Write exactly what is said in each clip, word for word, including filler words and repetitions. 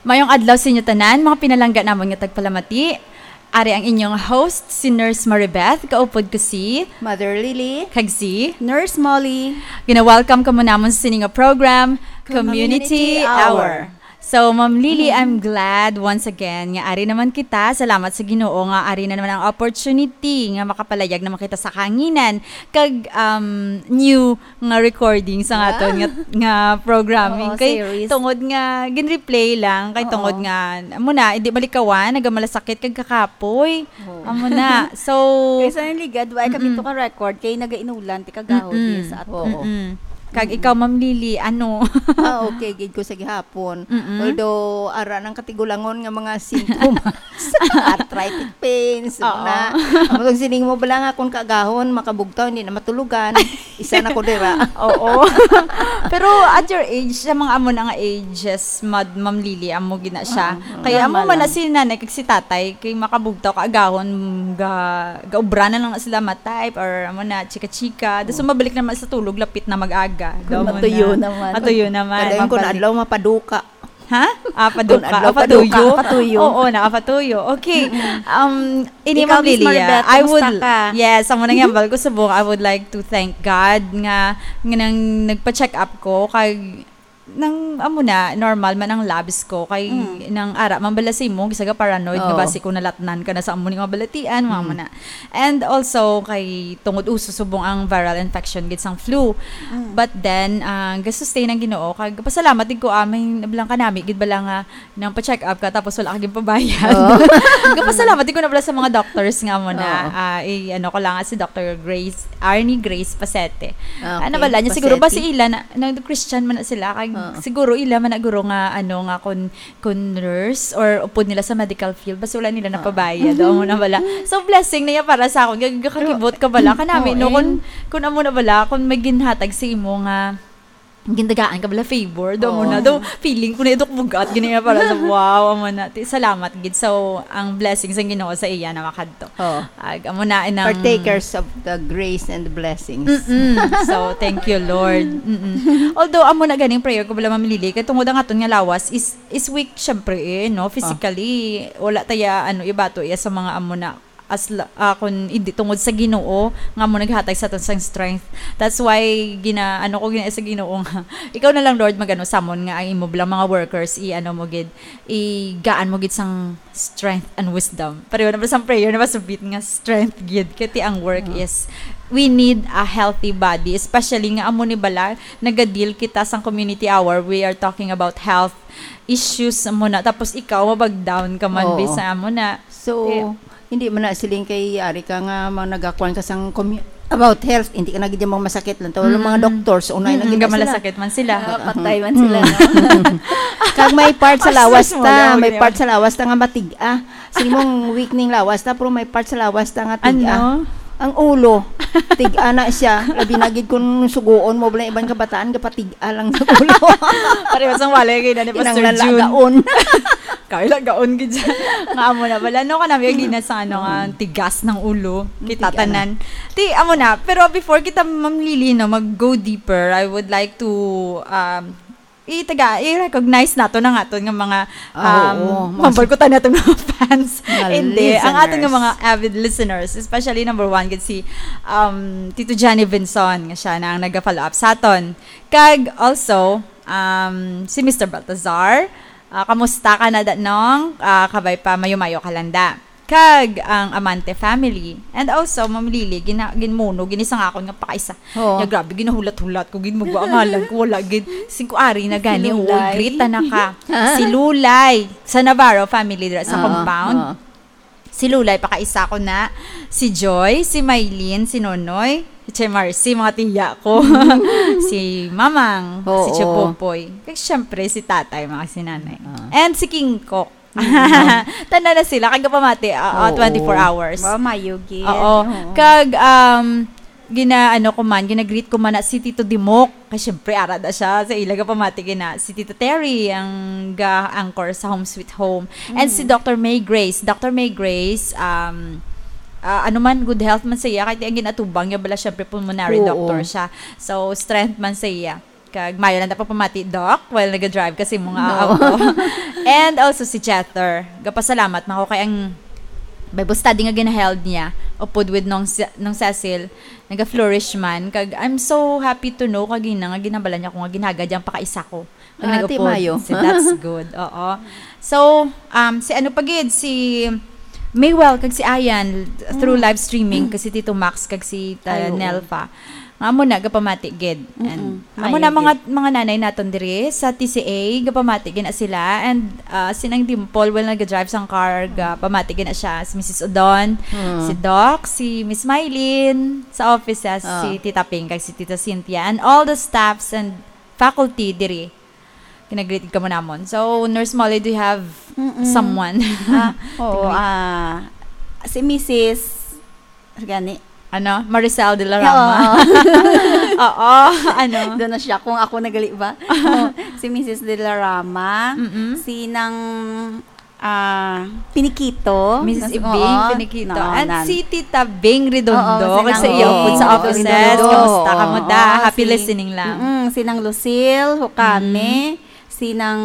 Mayong adlaw sa inyo tanan, mga pinalangga namon nga tagpalamati. Ari ang inyong host, si Nurse Maribeth. Kaupod ko si Mother Lily. Kag si Nurse Molly. Gina-welcome kamo namon sa sini nga program, Community Community Hour. Hour. So, Ma'am Lily, Mm. I'm glad once again nga ari naman kita. Salamat sa Ginoo nga ari na naman ang opportunity nga makapalayag naman kita sa kahanginan kag, um, new nga recording sa aton Ah. nga, nga programming. Oo, Kay series. tungod nga gin-replay lang, kay Oo. tungod nga, amo na, hindi malikawan, nagamalasakit kag kakapoy. Oo. Amo na. So, Kay sa naligad, wala kami Mm-mm. to ka-record, kay nagainulan, ti kagahod Mm-mm. eh, sa ato. Oo. Mm-mm. Kag Mm-mm. ikaw, Ma'am Lily, ano? Ah, okay, gid ko sa gihapon. Mm-mm. Although, ara ng katigulangon nga mga sintomas. Arthritic pains, Oo. na. Amo tong sining mo bala nga kung kagahon, makabugtaw, hindi na matulugan. Isa na ko dira. Oo. Pero at your age, sa mga amo na nga ages, Mad-, Ma'am Lily, amo gina siya. Oo, Kaya amo normal man na lang. si nanay kag si tatay, kay makabugtaw ka agahon, ga, gaubra na lang na sila ma-type or amo na, chika-chika. Tapos Oo. mabalik naman sa tulog, lapit na mag-aga. Kung Daw mo matuyo na. naman. Matuyo naman. Kadayon ko na Mabalik. adlaw, mapaduka. Ha? Ah, Kung paduka. adlaw, Ah, patuyo. paduka, patuyo. Oo, nakapatuyo. Okay. Mm-mm. Um, ini, Ikaw, Ma'am Miss Lilia, Maribeth, I kumusta would, ka? yes, amo nang Mhm. hambal ko subong, I would like to thank God nga, nga nang nagpa-check up ko, kag nang, amo na, normal man ang labs ko, kay Mm. nang ara man bala sa imo, gisaga paranoid nga Oo. basi kung nalatnan ka na sa amo ni nga balatian, mga Mm. amo na. And also, kay tungod uso subong ang viral infection gid sang flu. Mm. But then, ah, gasustain ang Ginoo, kag pasalamat din ko, ah, may nablang kanami gid bala nga nang pa-check up ka, tapos wala ka ginpabayad. Oo. Gapasalamat din ko na pala sa mga doctors nga amo na, Oo. ah, i-, ano ko lang, si Doctor Grace, Arnie Grace Pasete. Okay, Ano bala niya, siguro ba Pasete. si ila na, nag-Christian man na sila, kag Oo. siguro ila man na guro nga, ano, nga kun, kun nurse or upod nila sa medical field, basta wala nila Oo. napabayad. Amo na bala. So, blessing na yan para sa akon. Gag-, gakakibot ka bala. Pero, Kanami, no, oo, kun, eh. kun amo na bala, kun may ginhatag sa imo nga gindagaan ka bala favor, do mo Oo. na, do, feeling ko na ito bugat, gini nga para sa, wow, amo na. Ti, salamat gid. So, ang blessings ang Ginoo sa iya na makadto. Oo. Ag, amo na inang Partakers of the grace and the blessings. Mm-mm. So, thank you, Lord. Mm-mm. Although, amo na ganing prayer ko bala, Ma'am Lily, kay tungod ang aton nga lawas is, is weak, syempre, eh, no? Physically, wala taya, ano, ibato iya sa mga amo na as la-, ah, kun hindi tungod sa Ginoo nga mo naghatag sa aton sang strength. That's why gina-, ano ko gina sa Ginoo nga, ikaw na lang, Lord, magano samon nga ang imo bilang mga workers, i-ano mo gid, igaan mo gid sang strength and wisdom. Pareho na ba sang prayer na masubit nga strength gid? Kay ti ang work Oo. is, we need a healthy body, especially nga amo ni bala, nagadeal kita sang community hour, we are talking about health issues mo na, tapos ikaw, mabag down ka man, Oo. bisa mo na. So, Kaya hindi man na siling kay ari ka nga mga nagakuan ka sang commu-, about health, hindi ka na gid mo masakit lang. Tawag mga Mm. doctors, unay na Mm, gid na sila. Gamalasakit man sila. Ah, patay man sila, no? Kag may part sa Aslas lawas mo, ta, no, may gini. part sa lawas ta nga matig-a. Sige mong weak ning lawas ta, pero may part sa lawas ta nga tig-a. Ano? Ang ulo, tig-a na siya. Labi na gid kung suguon mo, wala iban kabataan, kapatig-a lang sa ulo. Pareho sang walay kay na ni Pastor Kinanglan Jun. lagaon. Kay lagaon gid siya. Nga amo na bala. No, kanami ang gina sa ano nga, Mm. tigas ng ulo. Kita Tigas na. tanan. Ti, amo na. Pero before kita, Ma'am Lily, no, mag-go deeper, I would like to, um, itaga, i-recognize nato na nga aton nga mga, Ah, um, oo. Mga mambal ko tayo nato nga mga fans. Mga Hindi, ang aton nga listeners. mga avid listeners, especially number one, gid si, um, Tito Johnny Vinson, nga siya na ang naga-follow up sa aton. Kag also, um, si Mister Baltazar, ah, kamusta ka na, da-, nong? Ah, kabay pa, mayo-mayo ka lang, da. Kag ang Amante family. And also, Ma'am Lily, gina-, ginmuno, gini sa akon nga pakaisa. Oo. Ya, grabe, ginahulat-hulat ko, gid, magwa ang ngalan ko, wala, gid. Singko ari na gani, Si Lulay. uy, greet na ka. Si Lulay, sa Navarro family, dira sa Oo, compound. oo. Si Lulay, pakaisa ko na. Si Joy, si Maylin, si Nonoy, si Che Marcy, mga tiya ko. Si Mamang, Oo. si Che Popoy. Kag syempre, si Tatay, mga sinanay. Oo. And si King Kok. Mm. Tanda na sila, kag gapamati, ah, ah, Oo. twenty-four hours. Wow, mayo gid. Oo. Oo. Kag, um, gina-, ano ko man, gina-greet ko man na si Tito Dimok. Kay syempre, ara da siya sa ila gapamati gina. Si Tito Terry, ang ga-anchor sa Home Sweet Home. And si Mm. Doctor May Grace. Doctor May Grace, um, ah, ano man, good health man sa iya. Kay ang ginatubang niya bala, syempre, pulmonary Oo. doctor siya. So, strength man sa iya. Kag maayo lang ta pamati, Doc, while naga-drive kasi mga No. auto. And also si Jether. Gapasalamat man ko kay ang Bible study nga ginaheld niya upod with nung, Si- nung Cecil, naga-flourish man. Kag I'm so happy to know kagina nga ginabala niya ko nga ginagad yang pakaisa ko. Ang Ah, nag-upod. Mayo. So, that's good. Oo. So, um, si ano pa gid, si Maywell kag si Ayan through Mm. live streaming, kasi Tito Max kag si ta-, Ay, oo. Nelfa. Nga amo na, gapamati gid. And Mm-mm. Amo na, mga, mga nanay naton diri sa T C A, gapamati gid na sila. And, ah, si Nang Dimple, well, naga-drive sang car, gapamati gid na siya. Si Missus Odon, Mm. si Doc, si Miss Mylene, sa offices, Ah. si Tita Ping, kag si Tita Cynthia, and all the staffs and faculty diri. Ginagreet kamo namon. So, Nurse Molly, do you have Mm-mm. someone Ah, to oo, greet? ah, si Missus gani. Ano? Maricel de la Rama. Oo. Oo, ano? Doon na siya kung ako nagali ba? Oh, si Missus de la Rama, Mm-mm. si Nang, ah, Pinikito. Missus Nas-, Ibing oo, Pinikito. no, And nan. si Tita Bing Redondo. Oo, si Kag sa Nang iyo Bing po sa offices. Redondo. Kamusta? Kamusta? Oo, Happy si, listening lang. mm, si Nang Lucille Hukame, Mm. si Nang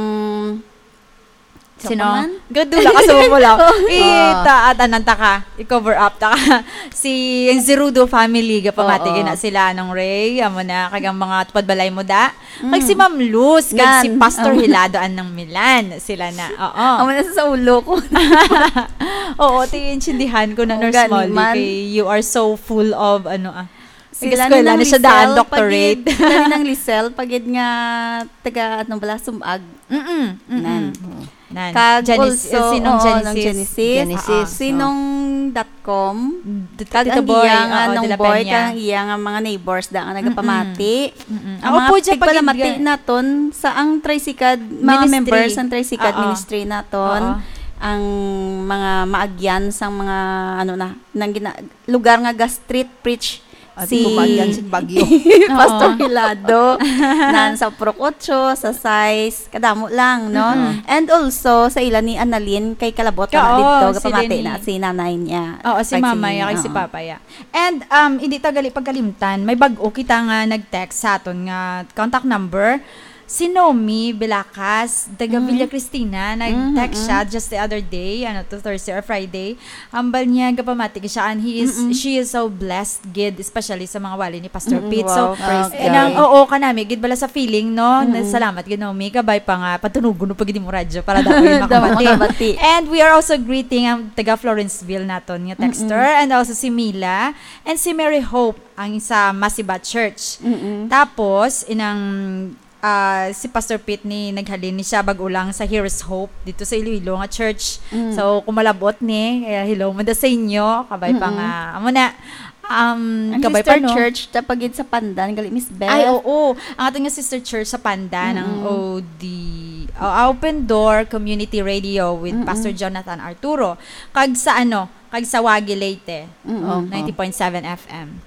Sino? Sino man? Gadula ka sa mo lang. Oo. Ita-, at anan ta ka. I-cover up ta ka. Si, ang Zerudo family, gapamati Oo. gid na sila, Nong Ray. Amo na, kag ang mga tupad balay mo da. Kag si Mm. Ma'am Luz, kag si Nan. Pastor Oo. Hilado, anang Milan. Sila na. Oo. Amo na sa ulo ko. Oo, ti, intindihan ko na, Oh, Nurse gani Molly, man. kay you are so full of, ano, ah, Sila nag-eskwela ni na siya daan, Lisel, doctorate. pagid, sila ni nang Lisel, pagid nga taga, ano bala, Sumag. Mm-mm, mm-mm. Nan. Nan. Kag Genes-, also, sinong oo, Genesis? nang Genesis. Genesis, Ah, ah. Sinong dot com? D-, Kag Tito ang Boy, iya nga, oo, nung Dela boy, Peña. kag ang iya nga mga neighbors da nga Mm-mm. nagapamati. Mm-mm. Ang Ako mga po, dyan, pagpalamati pagid-, naton sa ang Tricycad, mga Ministry. members sang Tricycad Oo. Ministry naton, Oo. ang mga maagyan sang mga, ano na, nang gina-, lugar nga ga-street preach At si kumaagyan sing bagyo. Pastor Oo. Hilado, nan sa Purok Ocho, sa Sais, kadamo lang, no? Mm-mm. And also, sa ila ni Annalyn, kay kalabot na Ka-, dito, oo, si gapamati Lenny. na si nanay niya. Oo, si Kag si mama niya, kag si oo. papa niya. And, um, hindi ta gali pagkalimtan, may bag-o kita nga nag-text sa aton nga contact number. Si Nomi Bilacas, taga Mm. Villa Cristina, nag-text Mm, siya mm. just the other day, ano to, Thursday or Friday. Ambal niya, gapamati siya, and he is, Mm-mm. she is so blessed, gid, especially sa mga wali ni Pastor Mm-mm, Pete. So, wow, praise eh, God. nang, oo, kanami, gid bala sa feeling, no? Mm-mm. Salamat, gid, Nomi. Kabay pa nga, patunugon mo pa gid mo radyo para dapat yung Dapat makabati. makabati. And we are also greeting ang taga Florenceville naton nga texter, Mm-mm. and also si Mila, and si Mary Hope, ang sa Masiba Church. Mm-mm. Tapos, inang ah, si Pastor Pete ni naghalin ni siya bag-o lang sa Here's Hope dito sa Iloilo nga church. Mm. So, kung malabot ni, kaya hello man da sa inyo, kabay pa Mm-mm. nga. Amo na, um, Ang kabay sister pa, no? church, tapagid sa Pandan, gali, Miss Beth. Ay, oo. Ang aton nga sister church sa Pandan, ang Mm-mm. O D, o, Open Door Community Radio with Mm-mm. Pastor Jonathan Arturo. Kag sa, ano, kag sa Wagi, Leyte. Mm-mm. Oh, ninety point seven F M.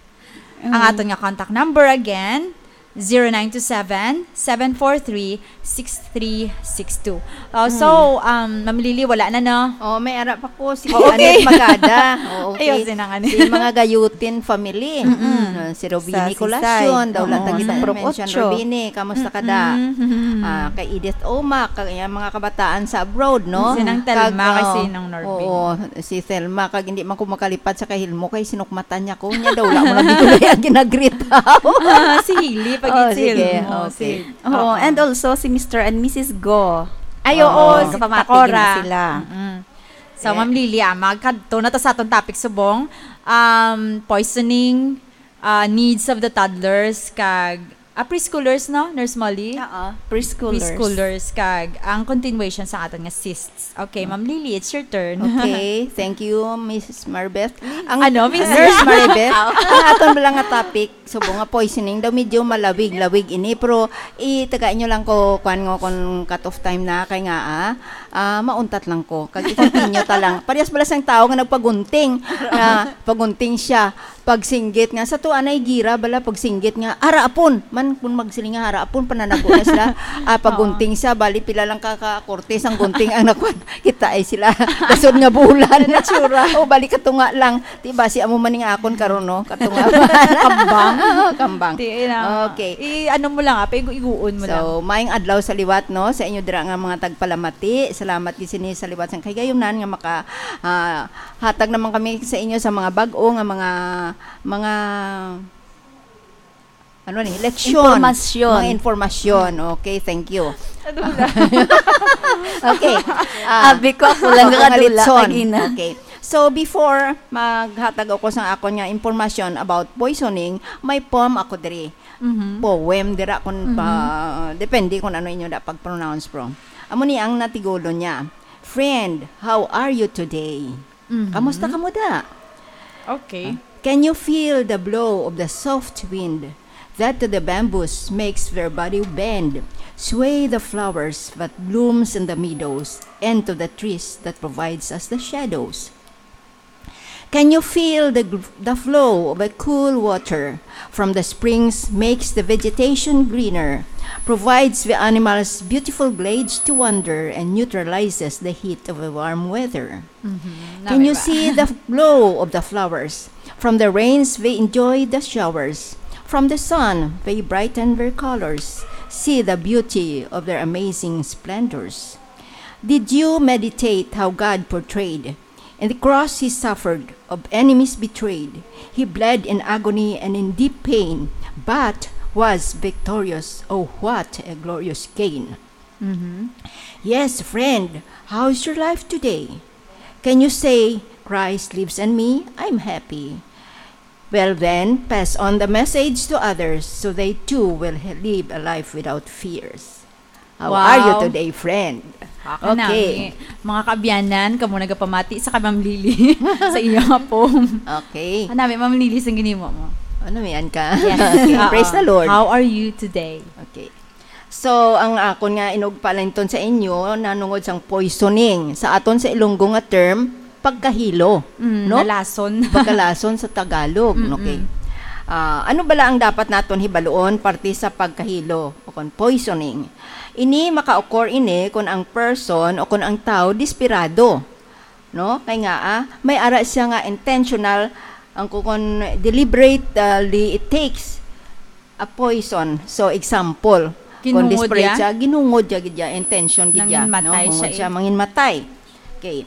Mm. Ang aton nga contact number again, zero nine two seven, seven four three, six three six two. Oh, so, Mm. um, Ma'am Lily, wala na, no? Oh, may ara pa ko. Si Oh, okay. Annette Magada. Oh, okay. Ayos din ang Annette. Si mga Gayutin family. Mm-mm. Mm, si Robini Sa Colacion, Sisay. daw lang Oo, tagi sa Pro mention Ocho. Robini. Kamusta ka da? Mm-mm. Ah, kay Edith Omac, kag iyang mga kabataan sa abroad, no? Si Nang Telma, Kag, kay oh, si Nang Norbin. oo, si Telma, kag hindi man ko makalipad sa kay Hilmo, kay sinukmatan niya ko. Niya daw, wala mo lang dito na yung ginagreet daw. Ah, si Hili, pag Oh, si sige, Hilmo, okay. si Oo, Oo. and also si Mister and Missus Go. Ay, oo, Oo, si kapamati Takora. gina sila. Mm-mm. So, Eh. Ma'am Lily, ah, magkadto na ta sa atong topic subong, um, poisoning, ah, needs of the toddlers, kag, ah, preschoolers, no, Nurse Molly? Oo, preschoolers. Preschoolers, kag ang continuation sa aton nga cysts. Okay, Ma'am Lily, it's your turn. Okay, thank you, Missus Maribeth. Ang Ano, Missus Nurse Maribeth, ang aton bala nga topic, subong nga poisoning daw, medyo malawig-lawig ini, pero itaga inyo lang ko, kuan nga, kung cut off time na, kay nga, ah, Ah, mauntat lang ko. Kag i-continue ta lang. Parehas bala sang tawo nga nagpagunting. Ah, pagunting siya. Pagsinggit nga, sa tuwa na igira bala, pagsinggit nga, "Ara, apon!" Man, kung magsiling nga, "Ara, apon," pananago na sila. Ah, pagunting siya, bali, pila lang ka, ka korte sang gunting ang nakuha. Kita ay sila. Dasod nga bulan. Natsura. O, bali, katunga lang. Di ba, si amo man nga akon karon, no? Katunga. Kambang. Kambang. Ti-, na. Okay. I-, ano mo lang, ah, paigo-iguon mo lang. So, maayong adlaw sa liwat, no? Sa inyo dira nga mga tagpalamati. Salamat gid sini sa liwat sang kahigayunan nga maka, ah, hatag naman kami sa inyo sa mga bag-o nga mga, mga, ano ni, leksyon. Impormasyon. Mga impormasyon. Okay, thank you. Nadula. Okay. Ah, Abi ko, ako lang ako nga nakadula, litson. Kagina. Okay. So, before maghatag ako sa akon nga impormasyon about poisoning, may poem ako diri. Mhm. Poem dira kung Mhm. pa, depende kung ano inyo da pag-pronounce, bro. Amo ni ang natigulo niya. "Friend, how are you today?" Mhm. Kamusta ka mo da? Okay. Ah, can you feel the blow of the soft wind that to the bamboos makes their body bend, sway the flowers that blooms in the meadows, and to the trees that provides us the shadows? Can you feel the gl-, the flow of a cool water from the springs makes the vegetation greener, provides the animals beautiful glades to wander, and neutralizes the heat of a warm weather? Mhm. Can you Nami ba? see the glow of the flowers? From the rains, they enjoy the showers. From the sun, they brighten their colors. See the beauty of their amazing splendors. Did you meditate how God portrayed? In the cross he suffered, of enemies betrayed. He bled in agony and in deep pain, but was victorious. Oh, what a glorious gain! Mhm. Yes, friend, how's your life today? Can you say, "Christ lives in me, I'm happy"? Well then, pass on the message to others so they too will he-, live a life without fears. How are you Wow. today, friend? Ako na, Okay. eh, mga kaabyanan, kamo nagapamati sa kay Ma'am Lily sa iya nga poem. Okay. Ano, may Ma'am Lily, sang ginimo mo? Ano, may an ka? Yes. Okay. Oo. Praise the Lord. How are you today? Okay. So, ang akon nga inugpalinton sa inyo, nanungod sang poisoning. Sa aton sa Ilonggo nga term, pagkahilo, Mm, no? nalason. Pagkalason sa Tagalog, Mm-mm. okay. Ah, ano bala ang dapat naton hibaluon parte sa pagkahilo o kon poisoning? Ini maka-occur ini kon ang person o kon ang tawo desperado, no? Kay nga, ah, may ara siya nga intentional, ang kon deliberately it takes a poison. So, example, kon Kinungod desperate ya? siya, ginungod ya gid ya, intention gid ya, no? Nanginmatay siya, Hungod siya eh. manginmatay. Okay.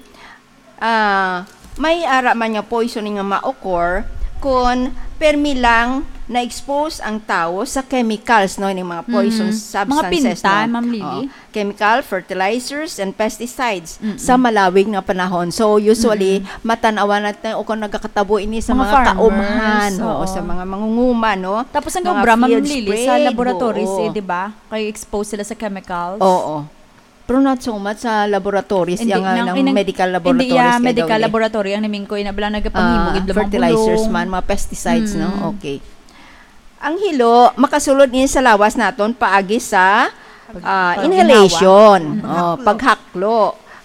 Ah, may ara man nga poisoning nga ma-occur kon permi lang na-expose ang tawo sa chemicals, no, ning mga poison Mm. Mga substances, pinta, no? Ma'am Lily? Oh, chemical, fertilizers, and pesticides Mm-mm. sa malawig nga panahon. So, usually, Mm-mm. matan-awan natin o kung nagakatabo ini sa Mga mga farmers, kaumhan, oo, oo. sa mga mangunguma, no? Tapos ang Mga obra, Ma'am field Lily, sa spray, laboratories, oo. eh, di ba? Kay expose sila sa chemicals. Oo. Pero not so much sa laboratories, Hindi, yang, ah, nang ng inang-, medical hindi, laboratories, yeah, kay medical daw, eh. laboratory ang namingkoy na bala nagapangimo Ah, gid lang fertilizers mabulong. man, mga pesticides, no? Mm. Okay. Ang hilo, makasulod ni sa lawas naton paagi sa, Pag-, ah, pag-, inhalation, ginawa. Mm. oh, Haklo. paghaklo,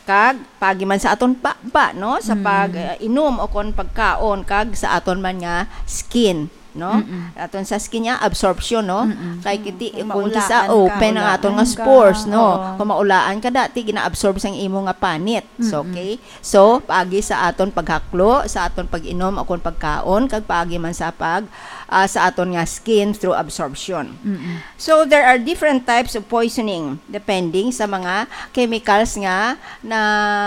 kag paagi man sa aton baba, no? Sa Mm. pag, ah, inom o kon pagkaon, kag sa aton man nga skin, no? Mm-mm. Aton sa skin niya, absorption, no? Mm-mm. Kay kiti, Kung kung kisa maulaan ka, open ang maulaan aton nga ka, spores, no? oo. Kung maulaan ka, dati gina-absorb sang imo nga panit. So, Mm-mm. okay? So, paagi sa aton paghaklo, sa aton pag-inom o kon pagkaon, kag paagi man sa pag, ah, sa aton nga skin through absorption. Mm-mm. So, there are different types of poisoning depending sa mga chemicals nga na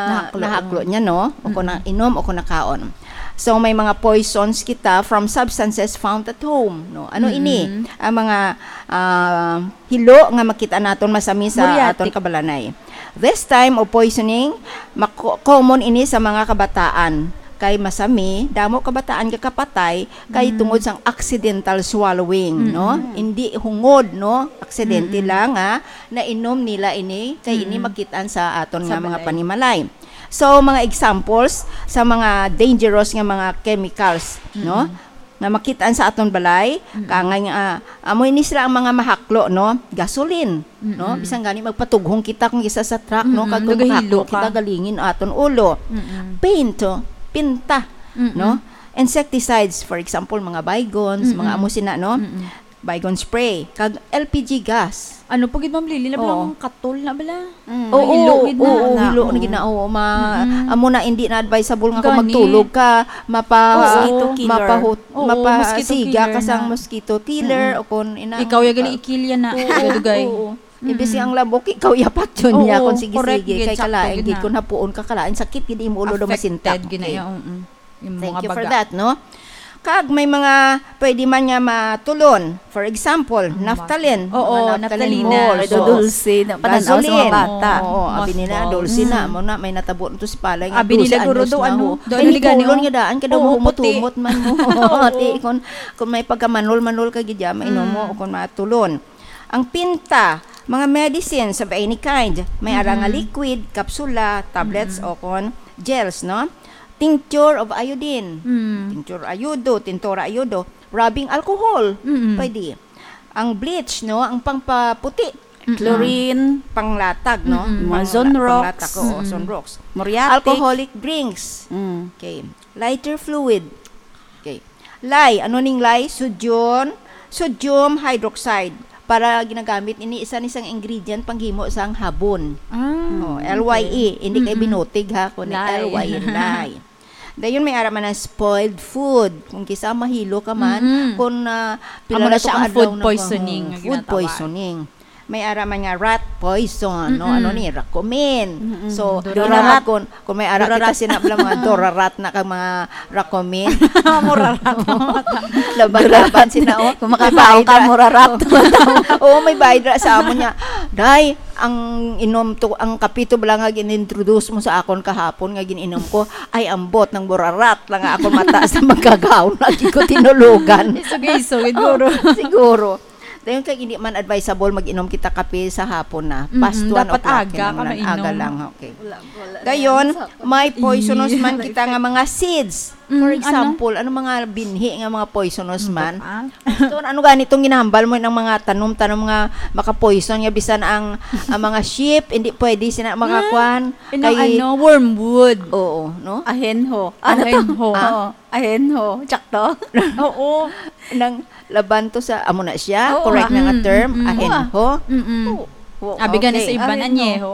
Nahaklo. nahaklo niya, no? O kung Mm-mm. nainom o kung nakaon. So, may mga poisons kita from substances found at home, no? Ano ini? Mm-mm. Ang mga, ah, hilo nga makita naton masami sa Muriatic. aton kabalanay. This time of poisoning, mako-, common ini sa mga kabataan. Kay masami, damo kabataan nga kapatay kay Mm. tungod sang accidental swallowing, no? Mm. Hindi hungod, no? Aksidente Mm. lang, ha? Nainom nila ini, kay ini Mm. makitaan sa aton Sa nga mga balay. panimalay. So, mga examples sa mga dangerous nga mga chemicals, no? Mm. nga makitaan sa aton balay, Mm-mm. kangay nga, ah, amo ini sila ang mga mahaklo, no? Gasoline, no? Mm-mm. Bisan gani magpatughong kita kung isa sa truck, no? Mm-mm. Kag kung Nagahilo mahaklo ka. kita, galingin aton ulo. Mm-mm. Paint, oh, pinta, Mm-mm. no? Insecticides, for example, mga Baygones, mga Mm-mm. amo sina, no? Mm-mm. Baygon spray, kag L P G gas. Ano pa gid, Ma'am Lily? Labi Oo. lang katol na bala. Mm. Oo, Hilo gid na. oo, Na, hilo na oo. gid na. Oo, ma-, Mm-mm. amo na, hindi na advisable nga kung Gani. magtulog ka, mapa-, Mosquito killer. mapahut-, Oo, mosquito mapasiga killer ka sang na. mosquito killer Mm-mm. o kung ina-, Ikaw ya gali ah, ikilya na, oo, dugay. oo. Imbis Mm-mm. ang labok, ikaw ya patyon niya Oo, kung sige-sige, correct gid, kay sakto kalain gid gid na. kung hapuon ka, kalain sakit gid imo ulo do Affected masintak. gid na Okay. ya, mm-mm. Yung Thank mga you for baga. that, no? Kag may mga pwede man nga matulon. For example, Ang naphthalene. Oo, Mga naphthalene naphthalene. malt. Medyo Oo. dulce na pananaw sa mga Gasoline. bata. Oo, abi nila, Mothballs. dulce na. Mm. Amo na, may natabo nito si Palay nga Abi nila, dulce, guro, anyos do, na ano? ho. Do, Kay ano ni liga, Kulon no? nga daan, kada Oo, mo puti. mutumot man mo. Oo. Ati, kung, kung may pagkamanol-manol ka gid, mainom mo, Mm. o kung matulon. Ang pinta, mga medicines of any kind. May ara nga Mm-mm. liquid, kapsula, tablets, Mm-mm. o kon gels, no? Tincture of iodine. Mm. Tincture ayodo, tintura ayodo. Rubbing alcohol. Mm-mm. Pwede. Ang bleach, no? Ang pangpaputi. Mm-mm. Chlorine. Panglatag, no? Mm-mm. Mga Pangla-, Zonrox. panglatag, oo, Mm-mm. Zonrox. Muriatic. Alcoholic drinks. Mm. Okay. Lighter fluid. Okay. Lye. Ano ning lye? Sodium, sodium hydroxide. Para ginagamit ini, isa ni sang ingredient panghimo sang habon. Ah, Oh, okay. L Y E. Hindi kay Mm-mm. binutig, ha, kundi Lye. L Y E, lye. Dayon may ara man ang spoiled food. Kung kisa mahilo ka man, Mm-mm. kung, ah, Amo pila na na to siya ka ang adlaw food na poisoning oh, nga food ginatawag. poisoning. May ara man nga rat poison, no? Mm-mm. Ano ni? Racomin. Mm-mm. So, Dora ginamot rat. kon, kung may ara Dora kita rat. sina bala mga Dora rat na kag mga Racomin. Mura rat. Laban-laban sina, oh. Kung May makabaw ka, bayad ra. mura rat. Oo, may bayad ra sa amo niya. Day, ang inom to, ang kape to bala nga gin-introduce mo sa akon kahapon nga gin-inom ko, ay ambot nang mura rat lang nga akon mata sa magkagaon lagi ko tinulogan. Isog-isog, siguro. Oo, siguro. Dayon kay hindi man advisable mag-inom kita kape sa hapon na. Mm-mm, Past one dapat o'clock aga ka kinahanglan. Aga mainom. lang, okay. Wala, wala na Dayon, yan sa may poisonous Ih, man kita nga mga seeds. Mm, For ano? example, ano mga binhi nga mga poisonous Ano man? pa? Ito, ano gani itong ginahambal mo ng mga tanom-tanom nga makapoison nga bisan ang, ang mga sheep, hindi pwede sina makakuan? Mm, inang Kay ano, wormwood. Oo, no? Ahenho. Ano to? Ahenho. Ah. Oo, ahenho. Tsakto? Oo. Nang laban to sa, amo na siya, Oo, correct ah. na nga Mm, term, mm, mm. ahenho. Mm, mm. Oh, oh, Abi gani sa okay. iban, Ahenho. anyeho.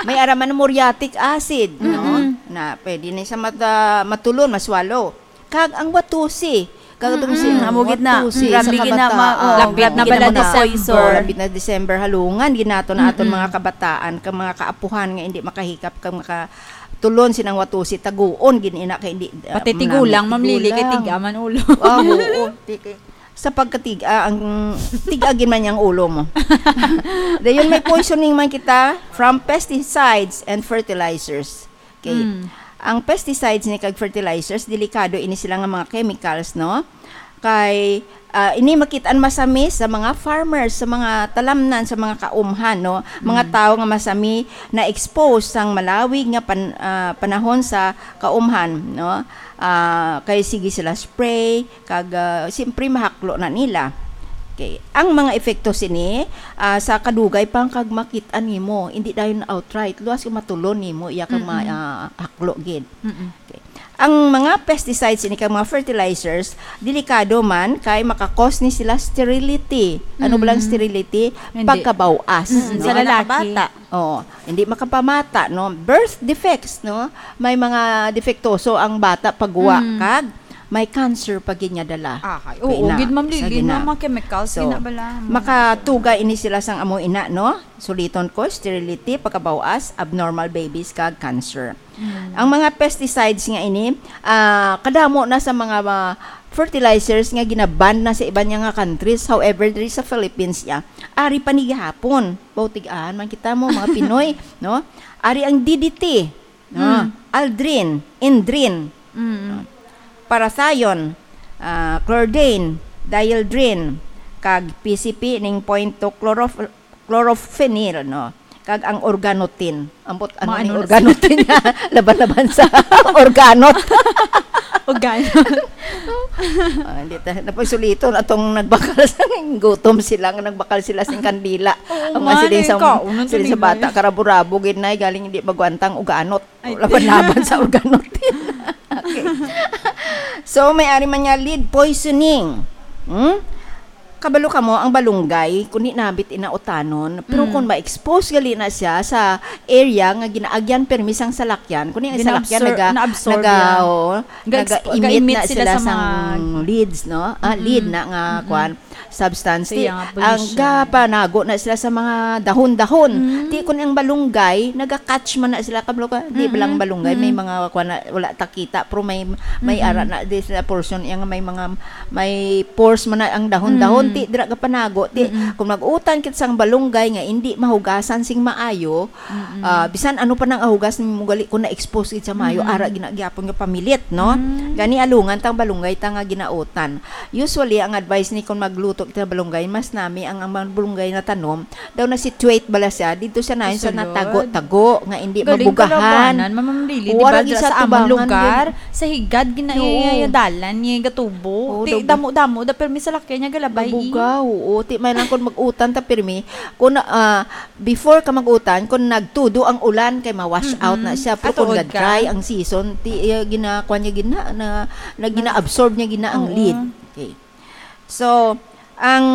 May ara man muriatic acid, no? Mm, mm. Na pwede na sa mata, matulon, maswallow. Kag ang watusi, kag itong Mm, si mm. amo gid na. Watusi Grabe sa gid na, ma-, kabataan. oh, Lapit grabe na gid bala na December. poison. Lapit na December, halungan gid nato na aton Mm, mm. mga kabataan, kag mga kaapuhan nga hindi makahikap, kag makatulon sinang watusi, taguon gid ina kay hindi, ah, Pati tigulang, ma'am Lily, kay tigulang. tiga man ulo. Ah, oo. Ti-, sa pagkatiga, ang tiga gid man yang ulo mo. Dayon may poisoning man kita from pesticides and fertilizers. Okay. Mm. Ang pesticides ni kag fertilizers, delikado ini sila nga mga chemicals, no? Kay, ah, ini makit-an masami sa mga farmers, sa mga talamnan, sa mga kaumhan, no? Mga Mm. tawo nga masami na-expose sang malawig nga pan-, ah, panahon sa kaumhan, no? Ah, kay sige sila spray, kag, ah, siyempre mahaklo na nila. Okay. Ang mga epekto sini, ah, sa kadugay pa kag makit-an nimo, hindi dayon outright, luwas kag matulon nimo iya kag ma-, Mm-mm. ah, haklo gid. Mm-mm. Okay. Ang mga pesticides ini kag mga fertilizers, delikado man kay maka-cause ni sila sterility. Ano ba lang Mm. sterility? Hindi. Pagkabaw-as, Mm, no? sa lalaki. Bata. Oo, hindi makapamata, no? Birth defects, no? May mga depektoso ang bata pagwa Mm. kag may cancer pa gid nga dala. Ahay, Kay oo, na, gid, Ma'am sa Lily, gina. no? Mga chemicals, So, gina bala, mga makatuga ini sila sang amo ina, no? Suliton ko, sterility, pagkabaw-as, abnormal babies, kag cancer. Mm. Ang mga pesticides nga ini, ah, kadamo na sa mga, ah, fertilizers nga ginaban na sa iban niya nga countries. However, diri sa Philippines, ya, ari pa ni gihapon. Bautig-an man kita mo, mga Pinoy, no? Ari ang D D T, no? Mm. Aldrin, Indrin, Mm. no? Parathion, ah, Chlordane, Dieldrin, kag P C P ning point two chlorofl-, chlorophenol, no? Kag ang organotin. Ambot, ano Maano ni na organotin? Laban-laban sa organot. O gani. Ah, hindi ta napagsulito na tong nagbakal sa gutom sila nga nagbakal sila sing kandila. Oo Ang nga, nga, siling sa, kaon, ang siling sa bata, tulingan. Karabo-rabo gid na, galing hindi magwantang uganot. Ay. Laban-laban sa uganot. Okay. So, may ari man nga lead poisoning. Hmm? Kabalo ka mo, ang balunggay, kung di nabit inautanon, pero Hmm. kung ma-expose gali na siya sa area nga ginaagyan permi sang salakyan, kung ang salakyan Gina-absor-, naga, naabsorb naga, niya. Oo, Ga-exp-, naga-emit ga-emit na sila sila sa sang mga leads, no? Ah, Mm-mm. lead na nga, Mm-mm. kwan, substance. Ti, Kaya nga, ang police siya. gapanago na sila sa mga dahon-dahon. Mm. Ti, kung ang balunggay, naga-catch man na sila, kabalo ka, di ba lang Mm-mm. balunggay, may Mm-mm. mga, kwan na, wala takita, pero may, may Mm-mm. ara na, di sila portion, yung may mga, may pores man na ang dahon-dahon, Mm. ti, dira gapanago, ti, Mm-mm. kung mag-utan kit sang balunggay nga hindi mahugasan sing maayo, Mm-mm. Ah, bisan ano pa nang ahugas nimo gali kung na-expose gid sa mayo, Mm-mm. ara gina-, gyapon nga pamilit, no? Mm. Gani alungan tang balunggay ta nga ginautan. Usually, ang advice ni kung magluto kita balunggay, mas nami ang, ang balunggay na tanom, daw na-situate bala siya, dito siya na sa Sulod. natago-tago, nga hindi Galing mabugahan. kalabanan, Ma'am Lily, Oo, di ba, ara dira sa among ginatubangan lugar, gid. sa higad, gina-, Oo. iya dalan, niya gatubo. Oo, Ti, daw- damo-damo, da, pero may salakyan niya galabay, eh. Mabugaw, oo. Ti, may lang kung mag-utan ta, pirmi, kung, ah, Before ka mag-utan, kung nagtudo ang ulan, kay ma-wash Mm-mm. out na siya. Pero kung Atuod ka. ga-dry ang season, ti, iya, gina-, kwan niya, gina-, na, na gina-absorb niya, gina ang Oo. lead. Okay. So, ang,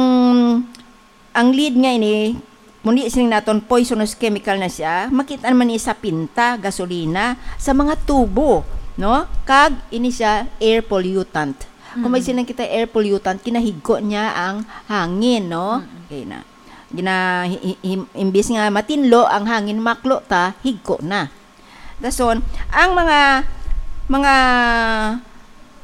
ang lead nga ini, muni sining naton poisonous chemical na siya, makita naman ni sa pinta, gasolina, sa mga tubo, no? Kag ini siya air pollutant. Kung may Mm. siling kita air pollutant, kinahigko niya ang hangin, no? Mm. Okay na. Gina-, hi-, hi-, him-, imbis nga matinlo ang hangin, maklo ta, higko na. Dason, ang mga, mga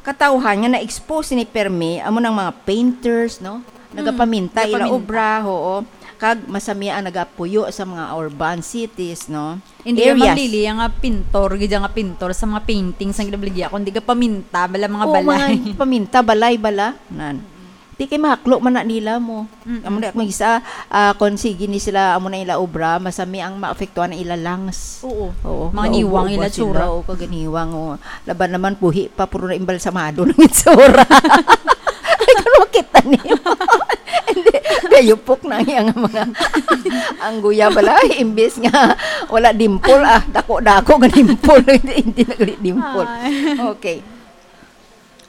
katawhan nga na-expose ni permi, amo nang mga painters, no? Mm, Nagapaminta ila nagapaminta. obra, oo. Kag masami ang nagapuyo sa mga urban cities, no? Hindi ka Areas. mamlili ang nga pintor, gid nga pintor sa mga paintings ang ginabaligya, kundi gapaminta bala mga Oo, balay. mga paminta, balay bala. Nan. Di kay mahaklo man na nila mo. Mm-mm. Amo na kung isa, ah, kung sige ni sila, amo na ila obra, masami ang maapektuhan ang ila lungs. Oo. Oo, Mga naubo-ubo niwang ila sila, tsura. Oo, kaganiwang, oo. Laban naman, buhi pa, puro na imbalsamado ng itsura. Ay, kung makita niyo. Hindi, gayupok na ang iyang mga, ang guya bala, imbis nga wala dimple, ah, dako-dako nga dimple, hindi, hindi nagli dimple. Ay. Okay.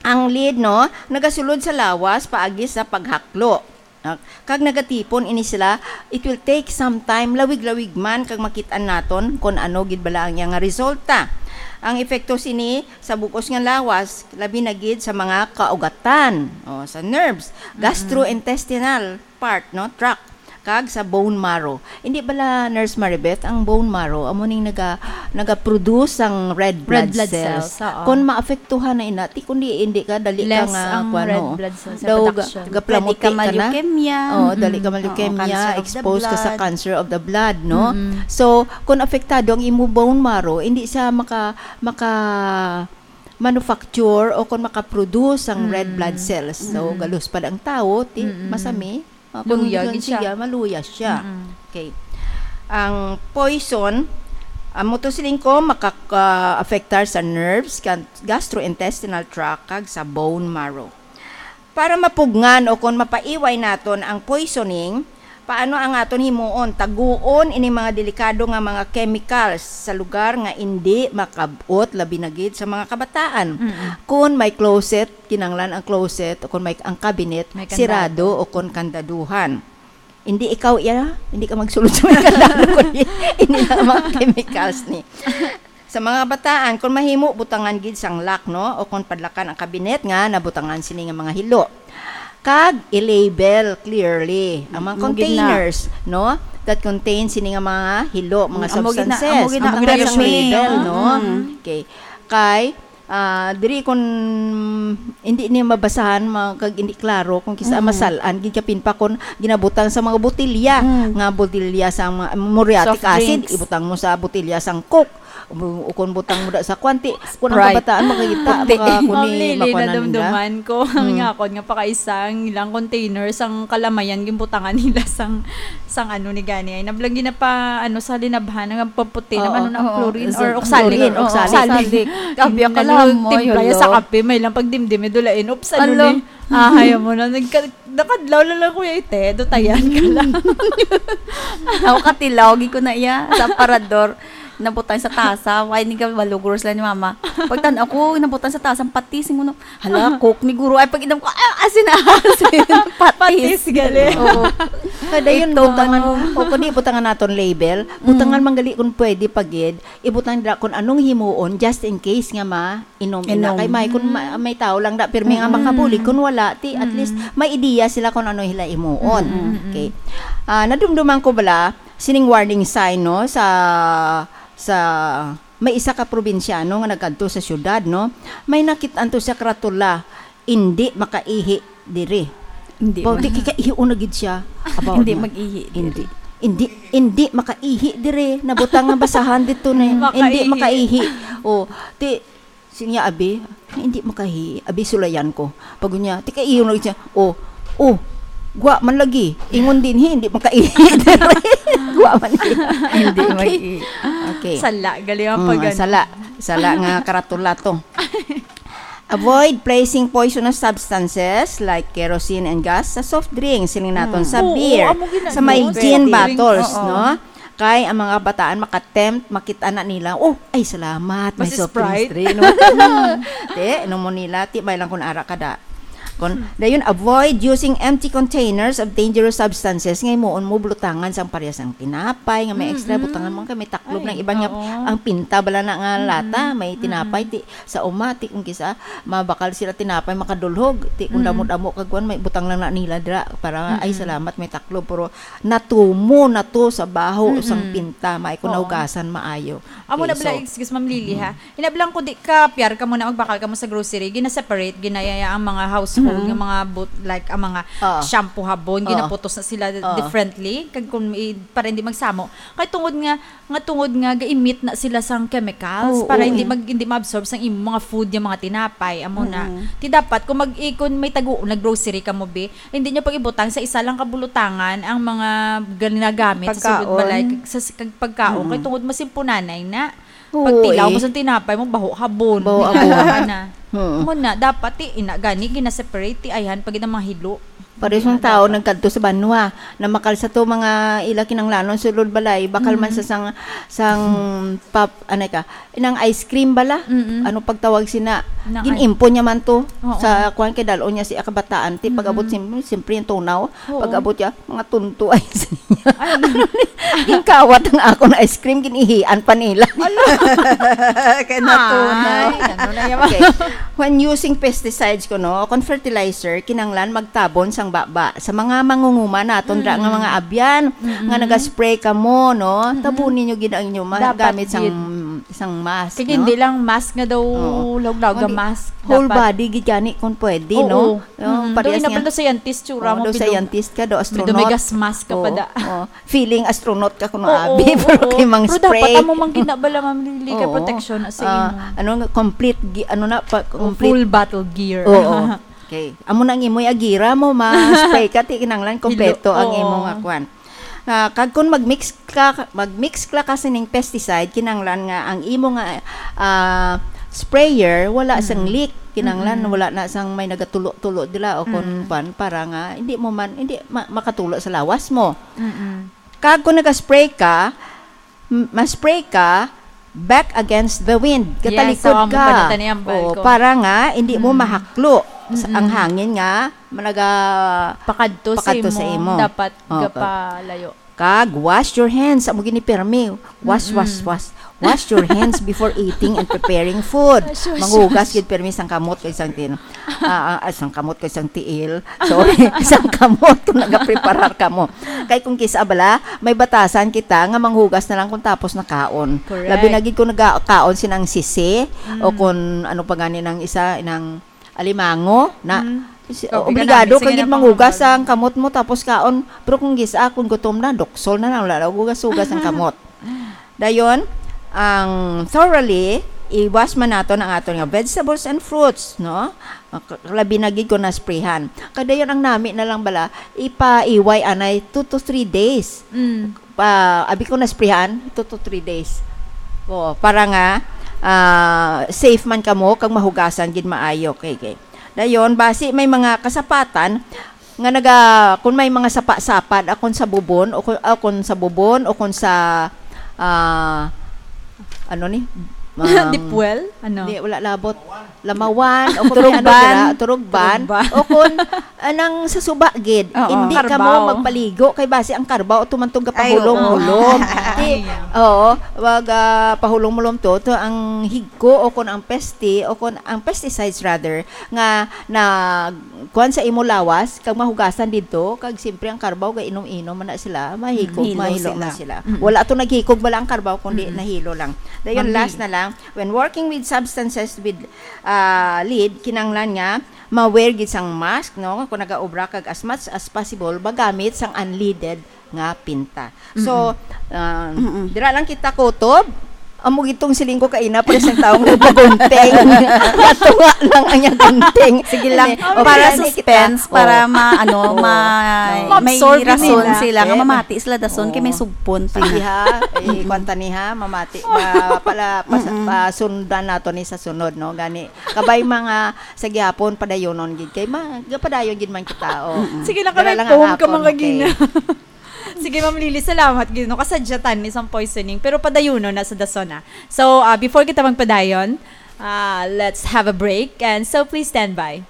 Ang lead, no, nagasulod sa lawas paagi sa paghaklo. Ah, kag nagatipon ini sila, it will take some time, lawig-lawig man, kag makit-an naton kon ano gid bala ang iya nga resulta. Ang epekto sini sa bug-os nga lawas, labi na gid sa mga kaugatan, o, sa nerves, Mm-mm. gastrointestinal part, no, tract, kag sa bone marrow. Hindi bala, Nurse Maribeth, ang bone marrow amo ning naga, naga-produce ang red Red blood blood cells. cells, oo. Kung maapektuhan na ina, ti kundi hindi ka, dali ka Less nga, ang kuwan, red oo. blood cells Daw ga-, production. gaplamuti Pwede ka ka na. ma-leukemia. Oo, dali ka Mm-mm. ma-leukemia, Oo, cancer of the exposed ka sa blood. cancer of the blood, no? Mm-mm. So, kung apektado ang imo bone marrow, hindi siya maka, maka manufacture o kung maka-produce ang red Mm. blood cells. So, Mm-mm. galuspad ang tawo, ti, Mm-mm. masami. Ah, kung Luya hindi gid siya. siya, maluya siya. Mm-mm. Okay. Ang poison, amo to siling ko, makaka-, afektar sa nerves, kan-, gastrointestinal tract, kag sa bone marrow. Para mapugngan o kon mapaiway naton ang poisoning, paano ang aton himuon? Taguon ini mga delikado nga mga chemicals sa lugar nga indi makab-ot, labi na gid sa mga kabataan. Mm-mm. Kon may closet, kinanglan ang closet, o kon may, ang cabinet, May sirado kandado. o kon kandaduhan. Hindi ikaw iya, hindi ka magsulod sa may kandado, kundi hindi na mga chemicals ni. Sa mga bataan, kung mahimo, butangan gid sang lock, no? O kung padlakan ang kabinet nga nabutangan sini nga mga hilo. Kag i-label clearly ang mga Amo gid na. containers, no? That contain sini nga mga hilo, mga Mm, amo gid na, substances. amo gid na Ang ang containers label, label, no? Mm. Okay. Kay, ah, diri kung hindi niya mabasahan, ma-, kag hindi klaro kung kisa Mm. masal-an, gid kapin pa kung ginabutang sa mga botilya, Mm. nga botilya sa mga muriatic Soft acid, drinks. ibutang mo sa botilya sang Coke. Bu-, ukon butang mo da sa kwan, ti, kun ang Sprite. Kabataan makakita, Puti. Maka-, kuni, Ma'am Lily, makuha na nila. Nadumduman ko ang Hmm. nga akon nga pakaisa ang ilang container sang kalamayan ginbutangan nila sang, sang ano ni gani. Ay, nablang ginapa, ano, sa linabhan, ang pamputi na Oo, ano na, oo. Chlorine Sa or oxalic. Chlorine, oo, oxalic. Oxalic. Oxalic. Kabi ako Ano, lang mo, timpla ya sa hello. Kape, may lang pagdimdim, may dulain. Oops, ano Ala. Ni? Ahay mo na. Nagka-, nakadlaw na lang, Kuya Ite. Dutayan ka lang. Ako katilaw, gi ko na iya sa aparador. Nabutang sa tasa. Why ni ka malugros lang ni mama? Pagtan-aw ko, nabutang sa tasa ang patis. Yung ano, hala, Coke ni guro. Ay, pag-inom ko, ah, asin na asin. Patis. Patis, gali. Oo. Kada yun, Ito, butangan, ano. O kundi butangan naton label. Butangan Mm. manggali kung pwede pagid. Ibutang dira kung anong himuon, just in case nga ma-, inom ina. Inom. Kay may, kung ma-, Mm. may tao lang da, pirmi nga Mm. makabulig. Kung wala, ti, at Mm. least, may ideya sila kung ano hila imuon. Mm, mm, mm. Okay. Ah, nadumduman ko bala, sining warning sign, no, sa, sa may isa ka probinsyano nga nagkadto sa syudad, no? May nakit-an to sa karatula, "Indi makaihi diri." Hindi Baw, ma- di kikaihi na gid siya. Abaw Hindi niya. Mag-ihi diri. Hindi. Hindi, hindi makaihi dire. Nabutang nga basahan dito na. Makaihi. Hindi makaihi. Oh, ti, siya, abi, hindi makaihi. Abi, sulayan ko. Pag niya, ti kaihi na siya. Oh, oh, gwa man lagi. Ingon din, hi, hindi makaihi dire. Gwa man lagi. Hindi Okay. Mag-ihi. Okay. Sala, gali ang Mm, pag-, sala. Sala nga karatula to. Avoid placing poisonous substances like kerosene and gas sa soft drinks, siling naton Mm. sa Oo, beer, amo gina-, sa may no? Soft gin drinks, bottles, oo. No? Kay ang mga bataan makatempt, makita na nila, "Oh, ay, salamat, may Mas soft drinks Sprite. Diri, no?" Te, inom mo nila, ti, may lang kung ara ka da. Kon, Hmm. dayon, avoid using empty containers of dangerous substances nga himuon mo bulutangan sang parehas ang tinapay nga may extra, Mm-mm. butangan mo kay may taklob Ay, ng iban nga oo. Ang pinta bala na nga Mm-mm. lata, may tinapay, Mm-mm. ti, sa uma, ti, kung kisa, mabakal sila tinapay, makadulhog, ti, kung Mm-mm. damo-damo kag kuwan, may butang lang na nila dira, para, ay, Mm-mm. salamat, may taklob, pero natumo na to sa baho, Mm-mm. sang pinta, may kung Oo. naugasan, maayo. Amo Okay, na bala, so, excuse, Ma'am Lily, ha? Mm-mm. Inablang ko di ka, piyar ka mo na magbakal ka mo sa grocery, gina-separate, ginayaya ang mga household, Mm-hmm. nga mga but-, like, ang mga Oo. shampoo, habon, Oo. ginaputos na sila Oo. differently, kag kung i-, para hindi magsamo. Kay tungod nga, nga tungod nga gaimit na sila sang chemicals Oo, para oo, hindi eh. mag-, hindi ma-absorb sang imong mga food, yung mga tinapay, amo na. Mm-hmm. Ti dapat kung mag-, i-, kung may tago, nag-grocery ka mo, be, hindi nyo pag-ibutang sa isa lang kabulutangan ang mga ginagamit sa sulod Pagkaon. Balay, kag sa, kag pagkaon. Mm-hmm. Kay tungod masimpunanay na. Pag Oo, tilaw eh. Mo sa tinapay mo, baho habon. Baho habon. Hinala ka na. Oo. Mo na, dapat ti, ina, gani, gina-separate, ti, ayhan, pag ina mga hilo. Pares Hindi ng na tao dapat. Nagkadto sa banwa, na makal sa to mga ila kinanglanon sulod balay, bakal man Mm. sa sang, sang pap-, anay ka, inang ice cream bala? Mm-mm. Ano pagtawag sina? Nang Gin-impo niya man to Oo. Sa kuwan kay dal-on niya si kabataan. Ti, pag-abot Mm-mm. sim-, siyempre yung tunaw, Oo. Pag-abot niya, mga tunto ay sa niya. Ay, ano? Ginkawat ang akon ice cream, ginihian pa nila. Ala. Kay natunaw. Ay, ano na yan? Okay. When using pesticides, kuno, kon fertilizer, kinanglan magtabon sang baba. Sa mga mangunguma naton, dra nga Mm. mga abyan, Mm-mm. nga nagaspray ka mo, no? Mm-mm. Tabon ninyo gid ang inyo ma-, Dapat gamit sang, gid. Sang mask, Kaya no? Hindi lang mask nga daw, Oo. Lawag-lawag Kundi mask. Whole Dapat body gid gani kung pwede, Oo. no? Oh, Mm, parehas daw niya. Inabal daw scientist, tsura Oo, mo, daw bilog. Scientist ka, daw May astronaut. Dumigas mask ka pa Oo, da. Oo. Feeling astronaut ka kuno, Oo, abi, pero oo. Kay mang Pero spray. Dapat amo mang ginabala, Ma'am Lily, kay Oo. Protection na sa Ah, imo. Ano nga, complete gi-, ano na, pa, Oh, complete. Full battle gear. Oo. Okay. Amo na ang imoy agira mo, ma-spray ka, ti kinanglan kompleto Hilo. Ang Oo. Imo nga kwan. Ah, kag kung mag-mix ka, mag-mix ka, ka sining pesticide, kinanglan nga ang imo nga, ah, sprayer wala sang Mm. Leak, kinanglan Mm. Wala na sang may nagatulo-tulo dila o kung Mm. Pan, para nga hindi mo man, hindi ma-, makatulo sa lawas mo. Mm. Kag kung nagaspray ka, m-, ma-spray ka back against the wind. Yes, katalikod so, amo ka. Pala tani ang balko. O, para nga hindi mo Mm. Mahaklo sa, ang Mm-mm. Hangin nga managa Pakadto sa pakadto sa imo, imo. Dapat Oo. Gapalayo. Kag wash your hands. Amo gini pirmi. Wash, Mm-mm. Wash, wash. Wash your hands before eating and preparing food. Wash, wash, Manghugas wash. Gid pirmi sang kamot kag sang tin-, ah, ah, ah, sang kamot kag sang tiil. Sorry, sang kamot kung nagapreparar ka mo. Kay kung kisa bala, may batasan kita nga manghugas na lang kung tapos na kaon. Correct. Labi na gid kung nagakaon sinang sisi Mm. o kung ano pa gani nang isa, nang alimango na Mm. si-, Ikaw, obligado pinanami, ka sige gid na, manghugas panghugas. Ang kamot mo tapos kaon. Pero kung gisa, kung gutom na, doksol na lang, wala na hugas-hugas ang kamot. Dayon, Ang thoroughly, i-wash man naton ang aton nga vegetables and fruits, no? K-, labi na gid kung nasprihan. Kadayon ang nami na lang bala, ipaiway anay two to three days. Mm. Pa, abi ko nasprihan, two to three days. O, para nga, ah, safe man kamo kag mahugasan gid maayo. Okay, okay. Dayon, basi may mga kasapatan nga naga-, kung may mga sapa-sapa, akon sa bubon, o kun, o kun sa bubon, o kun sa, ah, ano ni? Ang Deep well? Ano? Di, wala labot. Lamawan, o kun may ano Turugban. dira, turugban, Turugban. o kun anang sa suba gid, Oo. hindi ka mo Karbaw. magpaligo kay basi ang karbaw tumantog ka Ay, oo. pahulong-hulom. Di, Ay. oo, wag, ah, pahulong-hulom to, to ang higko o kun ang pesti o kun ang pesticides rather nga na kuan sa imo lawas kag mahugasan didto kag siyempre ang karbaw ga inom-inom man na sila, mahikog, Mm, hilo mahilo sila. man sila. Mm. Wala to naghikog bala ang karbaw kundi Mm. nahilo lang. Dayon Ma'am last Lily. na lang, when working with substances with, ah, lead, kinahanglan nga ma-wear gid sang mask, no? Kung nagaobra kag as much as possible, magamit sang unleaded nga pinta. So, Mm-mm. ah, Mm-mm. dira lang kita kutob. Amo gitong siling ko kaina, pero sang taong nagpagunting. Natunga lang ang iyang gunting. Sige lang, Hindi. Oh, para para suspense, kita. para Oh. ma-, ano, Oh. ma-, No. may Ma-absorb rason nila. sila nga Eh. mamati sila dason kay may Oh. sugpon pa. Sige ha, eh, Mm-mm. kwanta ni ha, mamati, ma-, pala, pas-, Mm-mm. pasundan nato ni sa sunod, no? Gani, kabay mga sa gihapon, padayonon gid kay ma-, padayon gid man kita, oh. Mm-mm. Sige lang, Dala kami lang ang phone ka, hapon, mga okay. gina. Sige, Ma'am Lily, salamat gid, no? Kasadyatan ni sang poisoning, pero padayonon na sa dason, ah. So, ah, before kita magpadayon, ah, let's have a break, and so please stand by.